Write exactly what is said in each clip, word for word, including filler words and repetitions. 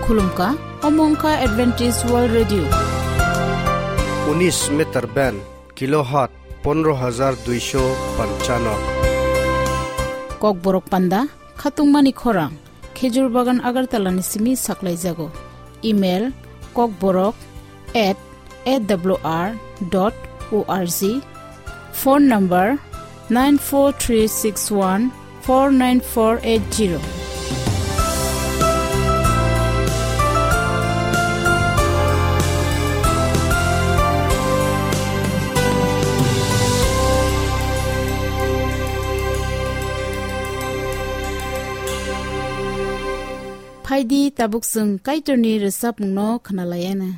Khulumkha, omo wngkha Adventist World Radio. Unis meter band, kilohertz pondro hajar duisho panchano. Kokborok panda, khatungmani khorang, Khejur Bagan Agartala ni simi saklaijago. Email, kokborok at A W R dot O R G. Phone number nine four three six one four nine four eight zero. Phaidi tabuk chwng Kaitorni rwchapmungno khwnalaiana.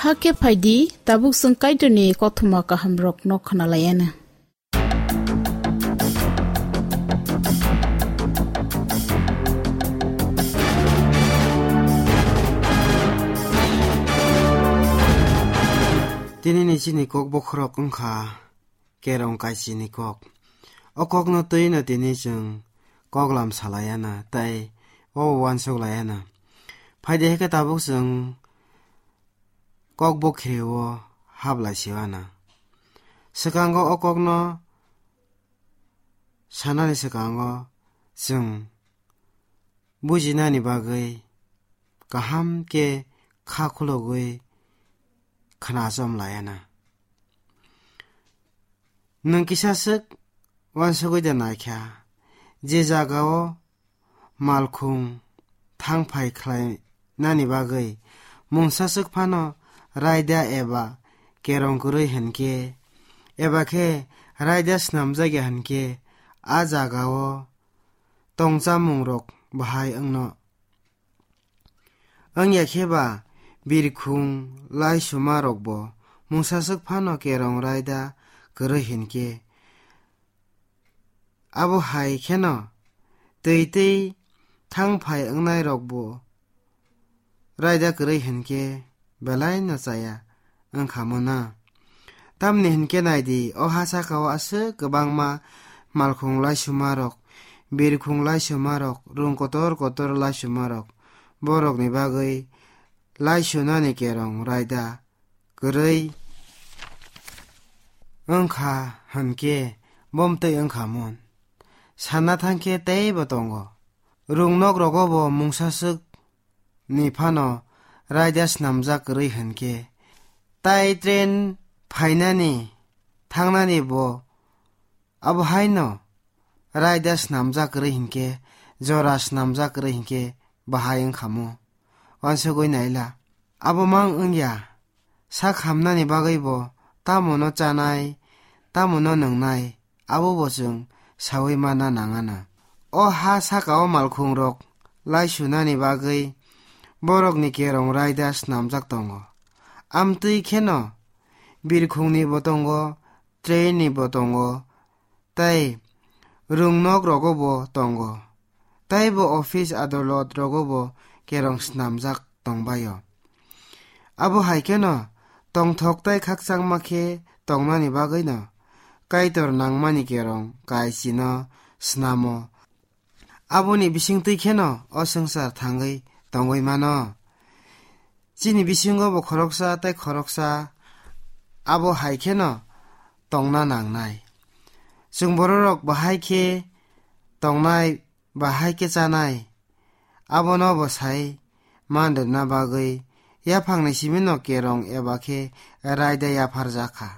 Hakhe phaidi, tabuk chwng Kaitorni kothoma kahamrokno khwnalaiana. Tini ni chini kok bokhorok wngkha Kerong Kaisini kok. O kokno twino tini chwng koklam salaiana tei o uansuk laiana. Phaidi hai khe tabuk chwng kok bokhreo hablai siwana. Swkango o kokno sanani swkango chwng bujinani bagwi kaham khe kha khulogwi khna chom laiana. Nwng kisa swk uansugwi da naikha, Je jagao malkhung thangphai khlainani bagwi mungsa swk phano raida eba kerong kwrwi hinkhe, eba khe raida snamjakya hinkhe, a jagao tongchamungrok bahai wngno. Wngya khe ba birkhung laisumarokbo mungsa swk phano kerong raida kwrwi hinkhe, abo hai kheno twi twi thangphai wngnairokbo raida kwrwi hinkhe belai no chaya wngkha mona. Tamni hinkhe naidi, o ha sakao aswk kwbangma malkhung laisumarok, birkhung laisumarok, rung kotor kotor laisumarok, borokni bagwi laisunani kerong raida kwrwi wngkha hinkhe bomtwi wngkha mon. Sana thangkhe teibo tongo. Rung nok rogo bo mungsa swk ni phano raida snamjak kwrwi hinkhe, tai train phainani thangnani bo abo haino raida snamjak kwrwi hinkhe, jora snamjak kwrwi hinkhe bahai wngkha mo. Wansugwi naila. Abo mang wngya, sak hamnani bagwi bo tamo no chanai, tamo no nwngnai, abo bo chwng saui manna nangana. O ha sakao malkhungrok laisunani bagwi borokni kerong raida snamjak tongo. Amtwi kheno birkhungni bo tongo, train ni bo tongo, tei rung nok rogo bo tongo, tei bo office adolot rogo bo kerong snamjak tongbaio. Abo hai kheno tongthok tei khakchangma khe tongnani bagwino Kaitor nangmani kerong kaichino snamo. Aboni bisingtwi kheno o swngchar thangwi tongwi mano. Chini bisingo bo khoroksa tei khoroksa abo hai kheno tongna nangnai. Chwng bororok bahai khe tongnai, bahai khe chanai, abono bo sai man rwna bagwi yaphangni simino kerong eba khe raida yapharjak kha.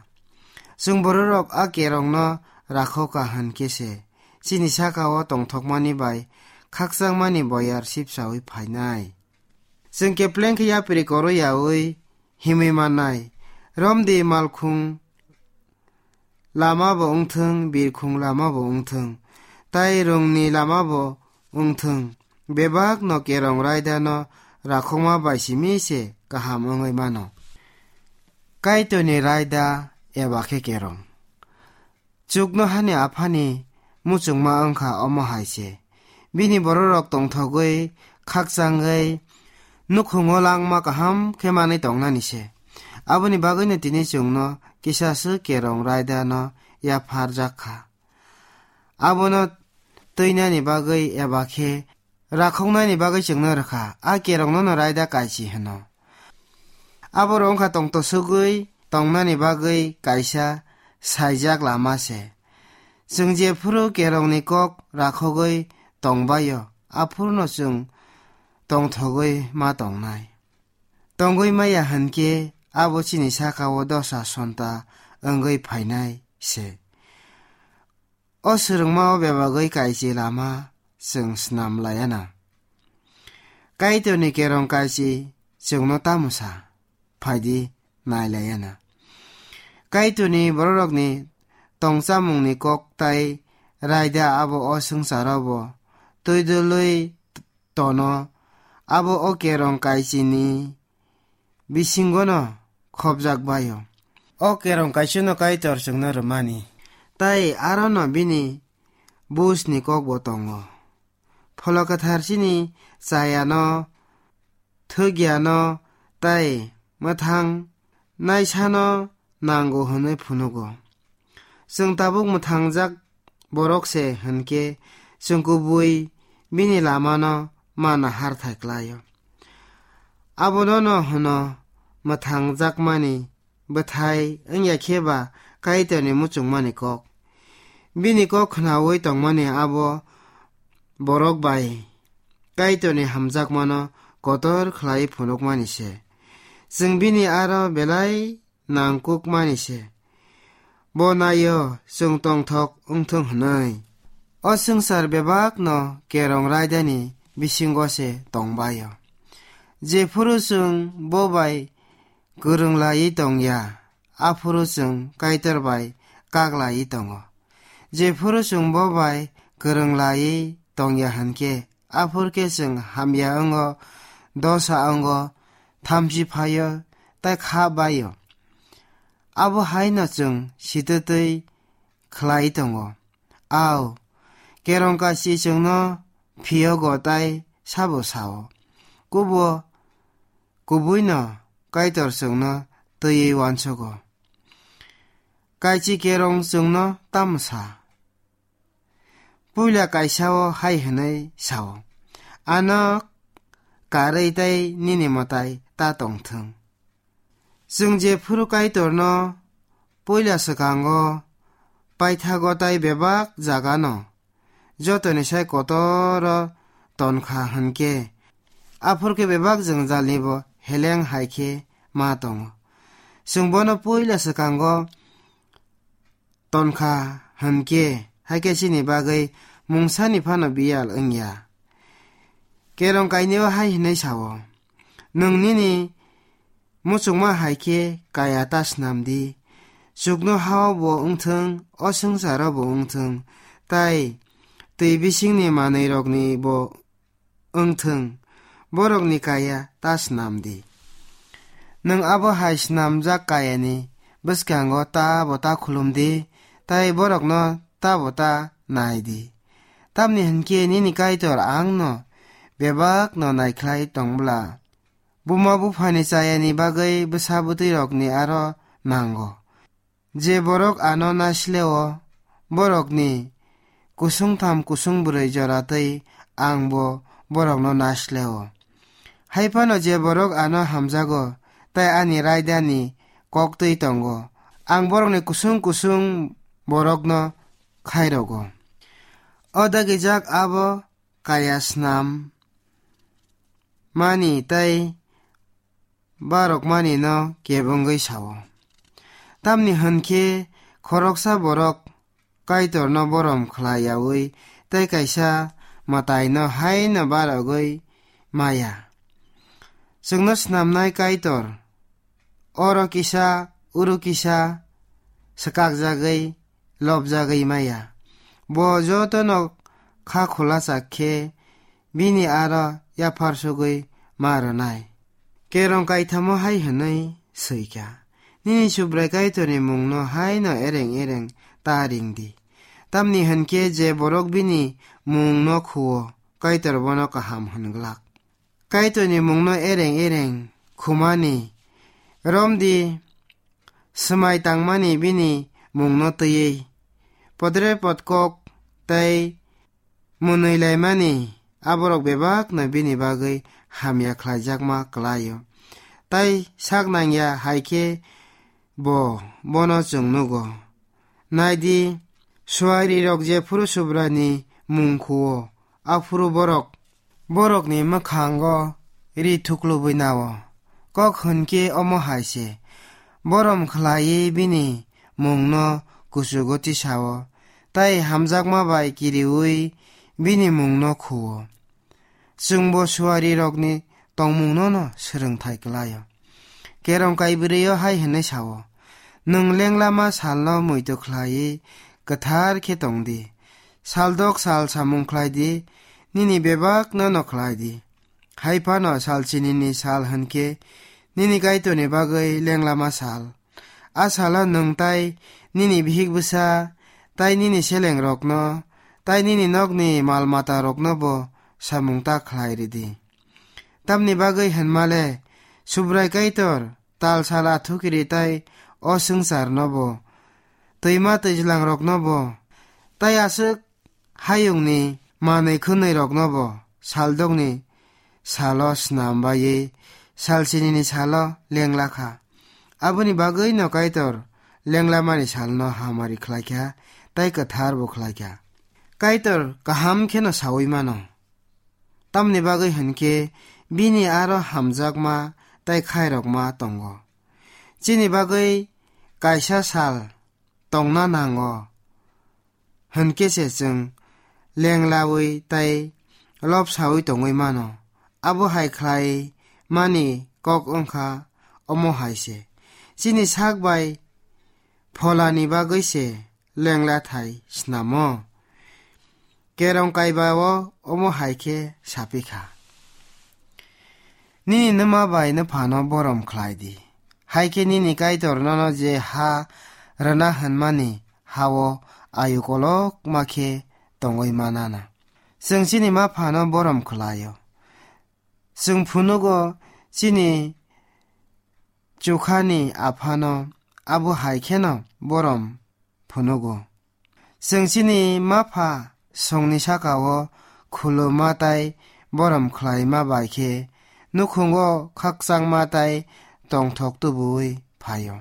Chwng bororok a kerongno rakho ka hwn khe se chini sakao tongthokmani bai khakchangmani boyar sipsaui phainai. Chwng kepleng khe yapri koro yaui himwi mannai. Romdi malkhung lama bo wngthwng, birkhung lama bo wngthwng, tai rungni lama bo wngthwng, bebak no kerong raida no rakhokma bai simi se kaham wngwi mano. Kaitorni raida eba khe kerong. Chuknohani Aphani muchungma wngkha omo hai se. Bini bororok tongthogwi, khakchangwi, nukhungo langma kaham khe manwi tongnani se. Aboni bagwino tini chwngno kisa swk kerong raida no yapharjak kha. Abono twinani bagwi eba khe rakhoknani bagwi chwngno rwkha, a kerongno no raida kaichi hwno. Abo rok wngkha tongtosugwi tongnani bagwi kaisa saijak lama se. Chwng jephuru kerongni kok rakhogwi tongbaio, aphuruno chwng tongthogwi ma tongnai. Tongwi maya hwnkhe abo chini sakao dosa sonta wngwi phainai se. O swrwngmao bebagwi kaichi lama chwng snam laiya na. Kaitorni kerong kaichi chwngno tamo sa? Phaidi nai laiya na. Kaitorni bororokni tongchamungni kok tai raida abo o swngcharo bo twi dwlwi tono, abo o kerong kaichini bisingono khopjak baio. O kerong kaichino Kaitor chwngno rwmani, tai arono bini bujni kokbo tongo. Pholok Kwthar chini chayano, thwkyano, tai mwthang naisano nango hwnwi phunugo. Chwng tabuk mwthangjak borok se hwnkhe chwng kubui bini lamano ma nahar thai klaio. Abono no hwno mwthangjakmani bwthai wngya khe ba Kaitorni muchungmani kok. Bini kok khnaui tongmani abo borok bai Kaitorni hamjakmano kotor khlai phunukmani se. Chwng bini aro belai nangkukmani se. Bo naio chwng tongthok wngthung hwnwi. O swngchar bebakno kerong raidani bisingo se tongbaio. Jephuru chwng bo bai kwrwng laiwi tongya, aphuru chwng Kaitor bai kak laiwi tongo. Jephuru chwng bo bai kwrwng laiwi tongya hwnkhe, aphuru khe chwng hamya wngo, dosa wngo, thamchi phaio, tei kha baio. Abo haino chwng sitwtwi khlai tongo. Au, kerong kachi chwngno phiyogo tei sabo sao. Kubo kubuino Kaitor chwngno twiwi uansugo. Kaichi kerong chwngno tamo sa? Puila kaisa-o hai hwnwi sao, "Ano karwi tei nini mwtai ta tongthwng." Chwng jephuru Kaitorno puila swkango paithago tei bebak jagano jotoni sai kotoro tonkha hwnkhe, aphuru khe bebak jwngjalnibo heleng hai khe ma tongo. Chwng bono puila swkango tonkha hwnkhe, hai khe chini bagwi mungsani phano biyal wngya. Kerong kainwi hai hwnwi sao, "Nwng nini muchungma hai khe kaya ta snam di, chuknohao bo wngthwng, o swngcharo bo wngthwng, tei twi bisingni manwirokni bo wngthwng, borokni kaya ta snam di. Nwng abo hai snamjak kayani bwskango ta bo ta khulum di, tei borokno ta bo ta nai di. Tamni hwnkhe nini Kaitor angno bebakno naikhlai tongbwla, buma buphani chayani bagwi bwsa bwtwirokni aro nango. Je borok ano naisle-o, borokni kusung tham kusung bwrwi jora twi ang bo borokno naisle-o. Hai phano je borok ano hamjago tei ani raidani kok twi tongo, ang borokni kusung kusung borokno khairogo. O dagijak abo kaya snam mani tei barokmani no kebengwi sao. Tamni hwnkhe khoroksa borok Kaitorno borom khlai yaui tei kaisa mwtaino haino barogwi maya. Chwngno snamnai Kaitor oro kisa, uro kisa swkakjagwi, lobjagwi maya. Bo jotono kha khulachak khe bini aro yaphar sugwi ma rwnai. Kerong kaithamo hai hwnwi swikha, "Nini Subrai Kaitorni mungno haino ereng ereng ta ring di. Tamni hwnkhe je borok bini mungno khuo, Kaitor bono kaham hwn glak." Kaitorni mungno ereng ereng khumani romdi, swmai tangmani bini mungno twiwi, podre podkok tei mwnwi laimani aborok bebakno bini bagwi hamya khlaijakma kwlaio. Tai sak nangya hai khe bo bono chwng nugo. Nai di, suarirok jephuru Subraini mung khuo, aphuru borok borokni mwkhango ri thuklubwi nao. Kok hwn khe omo hai se, borom khlaiwi bini mungno kuchugo tisao, tai hamjakma bai kiriui bini mungno khuo. Chwngbo suarirokni tongmungno'-no swrwngthai kwlaio. Kerong kaibrwi-o hai hwnwi sao, "Nwng lenglama salno muitu khlaiwi kwthar khe tong di. Saldok sal samung khlai di, nini bebakno'-no khlai di. Hai phano sal chinini sal hwn khe nini Kaitorni bagwi lenglama sal. A salo nwng tai nini bihik bwsa, tai nini selengrokno, tai nini nokni mal matarokno bo samung ta khlai rw di. Tamni bagwi hwnma le, Subrai Kaitor tal sal athukiri tai o swngcharno bo, twima twijlangrokno bo, tai aswk hayungni manwi khwnwirokno bo saldokni salo snam baiwi sal chinini salo lengla kha. Aboni bagwi'-no Kaitor lenglamani salno hamari khlai kha, tai kwthar bo khlai kha. Kaitor kaham kheno saui mano. Tamni bagwi hwn khe bini aro hamjakma tai khairokma tongo. Chini bagwi kaisa sal tongna nango hwn khe se chwng lenglawi tei lobsawi tongwi mano. Abo hai khlai mani kok wngkha omo hai se. Chini sak bai pholani bagwi se lengla thai snamo. Kerong kaiba o omo hai khe sapikha. Nini nwma bai nwphano borom khlai di. Hai khe nini Kaitor nono je ha rwna hwnmani ha-o ayu kolokma khe tongwi manana. Chwng chini ma phano borom khlaio. Chwng phunugo chini chukhani aphano abo hai kheno borom phunugo. Chwng chini ma pha songni saka-o khuluma tai borom khlaima bai khe nukhungo khakchangma tai tongthok tubuwi phaio.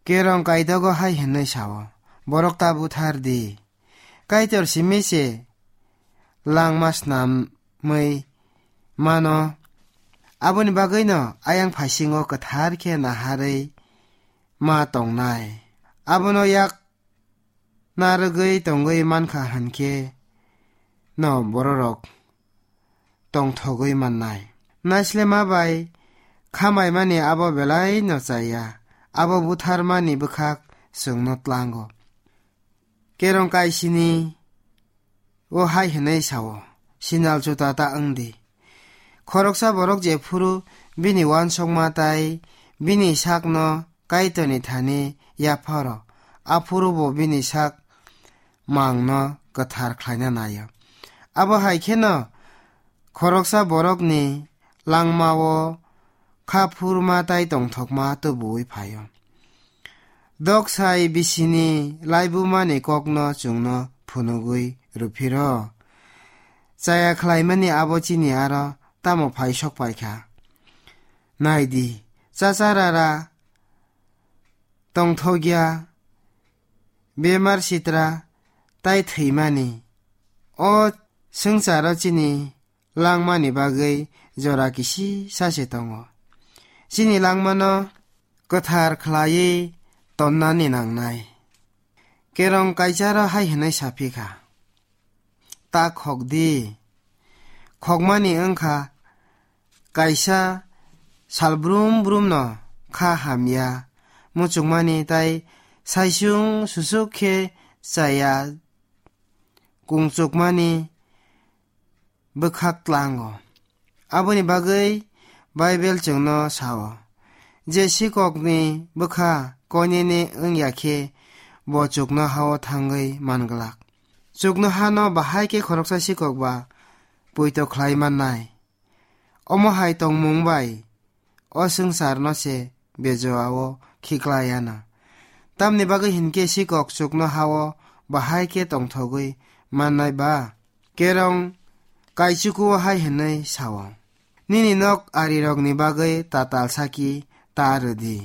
Kerong kaidogo hai hwnwi sao, "Borok ta buthar di. Kaitor simi se langma snamwi mano. Aboni bagwino ayang phaisingo kwthar khe naharwi ma tongnai. Abono yak narwgwi tongwi mankha hwnkhe no bororok tongthogwi mannai. Naislema bai khamaimani abo belai no chaya, abo butharmani bwkhak chwngno tlango." Kerong kaisini o hai hwnwi sao, "Sinal chuta ta wng di. Khoroksa borok jephuru bini uansukma tai bini sakno Kaitorni thani yapharo, aphuru bo bini sak mangno kwthar khlaina naio. Abo hai kheno khoroksa borokni langmao kha phurma tai tongthokma tubuwi phaio." Doksai bisini laibumani kokno chwngno phunugwi rwphiro. Chaya khlaimani abo chini aro tamo phai sok paikha. Nai di, chacha rara tongthokya, bemar sitra tai thwimani. O swngcharo chini langmani bagwi jora kisi sa se tongo. Chini langmano kwthar khlaiwi tonnani nangnai. Kerong kaisaro hai hwnwi saphikha, "Ta khok di." Khokmani wngkha kaisa sal brum brumno kha hamya muchungmani tai saisung susuk khe chaya kungchukmani bwkhak tlango. Aboni bagwi Baibel chwngno sao, je sikokni bwkha koinene wngya khe bo chuknoha-o thangwi manglak. Chuknohano bahai khe khoroksa sikok ba poito khlai mannai. Omo hai tongmung bai o swngcharno se bejoa-o khiklai ano. Tamni bagwi hinkhe sikok chuknoha-o bahai khe tongthogwi mannai ba? Kerong kaichuku-o hai hwnwi sao, "Nini nok arirokni bagwi tatal saki ta rw di.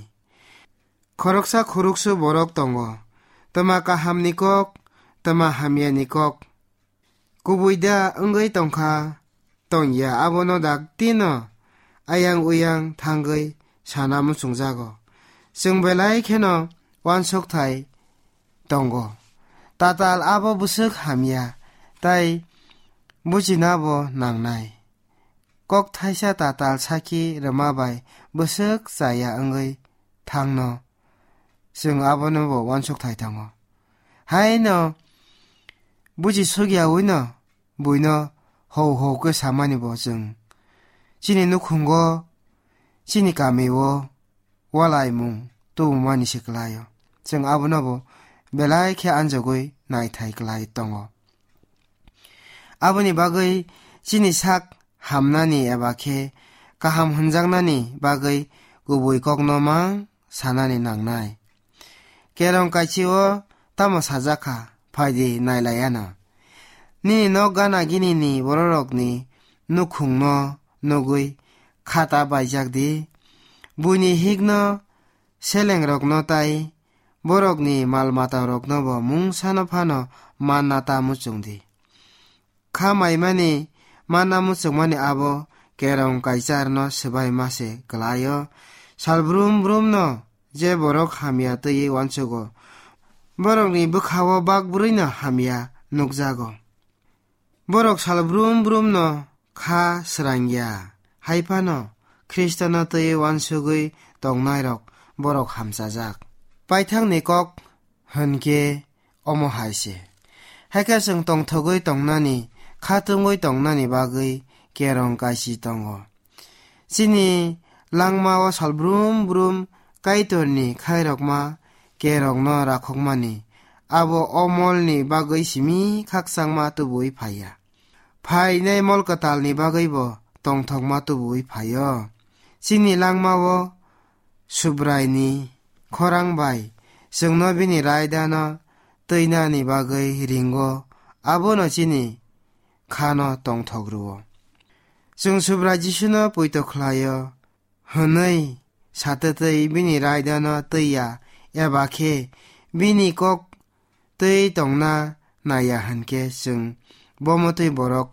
Khoroksa khuruksu borok tongo, twma kahamni kok, twma hamyani kok. Kubui da wngwi tongkha, tongya, abono daktino ayang uyang thangwi sana muchungjago. Chwng belai kheno uansukthai tongo. Tatal abo bwswk hamya, tai bujinabo nangnai. Kok thaisa tatal saki rwma bai bwswk chaya wngwi thangno, chwng abono bo uansukthai tongo. Haino buji sukyawino buino hou hou khe samani bo chwng chini nukhungo, chini kamio walaimung tubumani se kwlaio. Chwng abono bo belai khe anjogwi naithai kwlai tongo. Aboni bagwi chini sak hamnani eba khe kaham hwnjaknani bagwi kubui kokno mang sanani nangnai. Kerong kaichio tamo sajak kha, phaidi nailaiano. Nini nok gana ginini bororokni nukhungno nugwi khata baijak di. Buini hikno selengrokno tai borokni mal matarokno bo mungsano phano manna ta muchung di. Kha maimani manna muchungmani abo kerong kaicharno swbai ma se kwlaio. Sal brum brumno je borok hamya twiwi uansugo, borokni bwkha-o bak brwino hamya nukjago. Borok sal brum brum no kha srang ya, hai phano Khristo no twi uansugwi tongnai rok borok hamchajak. Paithakni kok hwnkhe omo hai se. Hakhe chwng tongthogwi tongnani, khatungwi tongnani bagwi kerong kaisi tongo. Chini langmao sal brum brum Kaitorni khairokma kerongno rakhokmani, abo o molni bagwi simi khakchangma tubui phaiya. Phainai mol kwtalni bagwibo tongthokma tubui phaio. Chini langmao Subraini khorang bai chwngno bini raidano twinani bagwi ringo, abono chini khano tongthok rwo. Chwng Subrai Jisuno poito khlaio hwnwi satwtwi bini raidano twiya, eba khe bini kok twi tongna naiya hwnkhe chwng bo mwtwi borok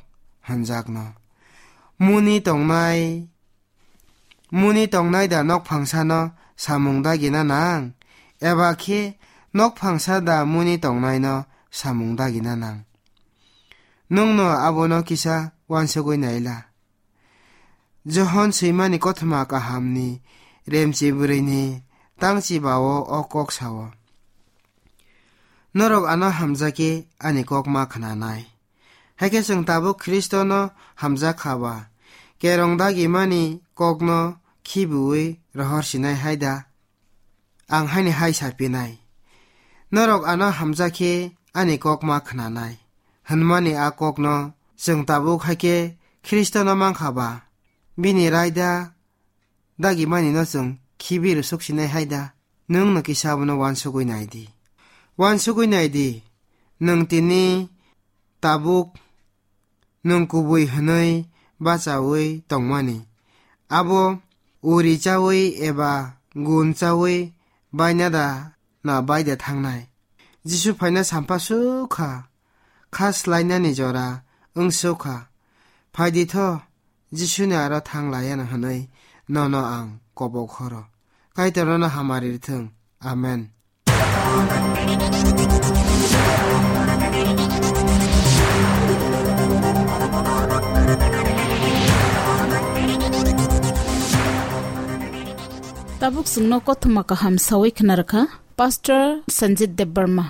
hwnjakno. Muni tongnai, muni tongnai da nokphangsano samung dagina nang? Eba khe nokphangsa da muni tongnaino samung dagina nang? Nwngno abono kisa uansugwi naila. Johon swimani kothoma kahamni remchi bwrwini tangchi bao o kok sao. Norok ano hamjakhe ani kok ma khnanai. Hakhe chwng tabuk Khristono hamjak kha ba, kerong dagimani kokno khibiui rohor sinai hai da? Ang haini hai sa pinai, norok ano hamjakhe ani kok ma khnanai, hwnmani a kokno chwng tabuk hai khe Khristono mankha ba, bini raida dagimani no chwng khibi rwsuk sinai hai da? Nwng no kisa abono uansugwi nai di. Uansugwi nai di, nwng tini tabuk nwng kubui hwnwi bachaui tongmani. Abo uri chaui eba gun chaui baina da na bai da thangnai? Jisu phaina sampha sukha, kha slainani jora wng sukha. Phai di tho, Jisuni aro thang laiya no hwnwi nono ang kobok horo. Kaitor nono hamari rwthwng. Amen. Tabuk chwngno kothoma kaham saui khna rwkha Pastor Sanjit Debbarma.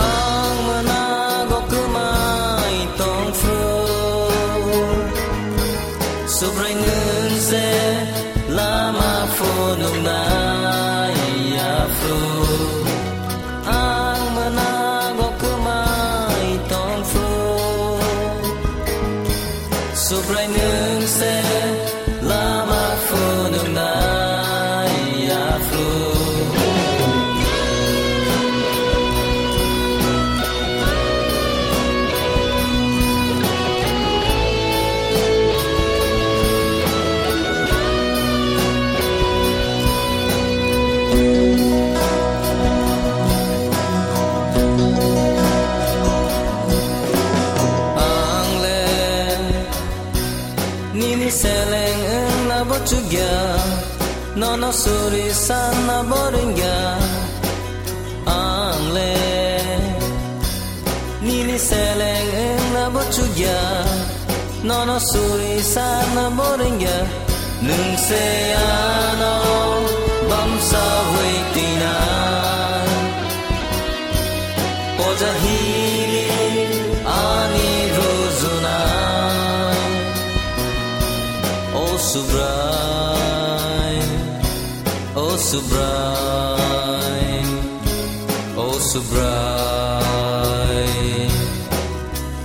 Ang mwnago kwmai tongphru, Subrai nwng se lama phunuknai yaphru. Ang mwnago kwmai tongphru, Subrai nwng se lama phunuknai yaphru. Ang le nini seleng wngna bo chukya, nono suri sanna bo ringya. Ang le nini seleng wngna bo chukya, nono suri sanna bo ringya. Nwng se ano bamsa waitinai, poja hini ani rujunai. O Subrai, O Subrai, O Subrai.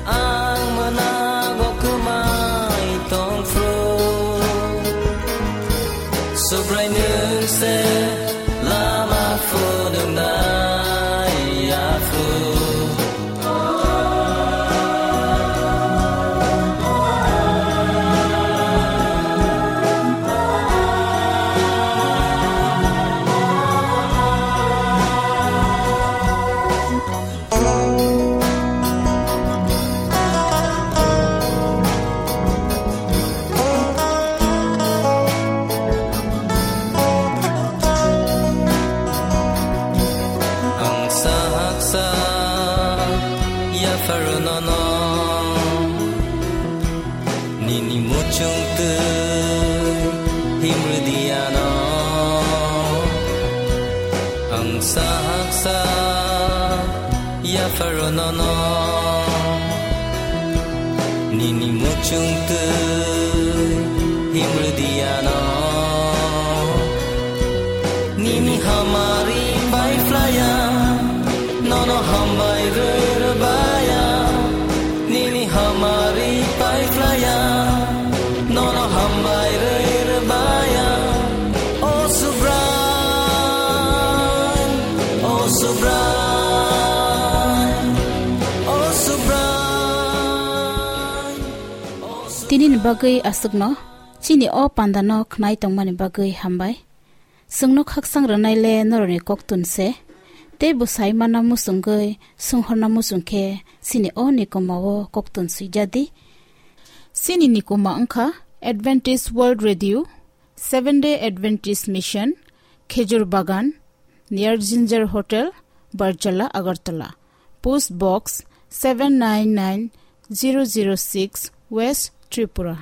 Ang mwnago kwmai tongphru, Subrai nwng se lama phunuknai yaphru. Chungtwi himrwdiano ang sahaksa yapharo nono. Nini muchungtwi himrwdiano nini hamari paiphlaya, nono hambai rwrwbaya. Nini hamari paiphlaya, nono hambai rwrwbaya. O Subrai, o Subrai, o Subrai, o Subrai. Tinini bagwi aswkno, chini o pandano khnai tongmani bagwi hambai. Chwngno khakchang rwnai le norokni koktun se, tei bwsai mana muchungwi swnghorna muchung khe chini o nikoma o koktun swijadi. Chini nikoma wngkha Adventist World Radio, Seventh Day Adventist Mission, Khejur Bagan, near Ginger Hotel, Barjala, Agartala. Post Box seven nine nine zero zero six, West Tripura.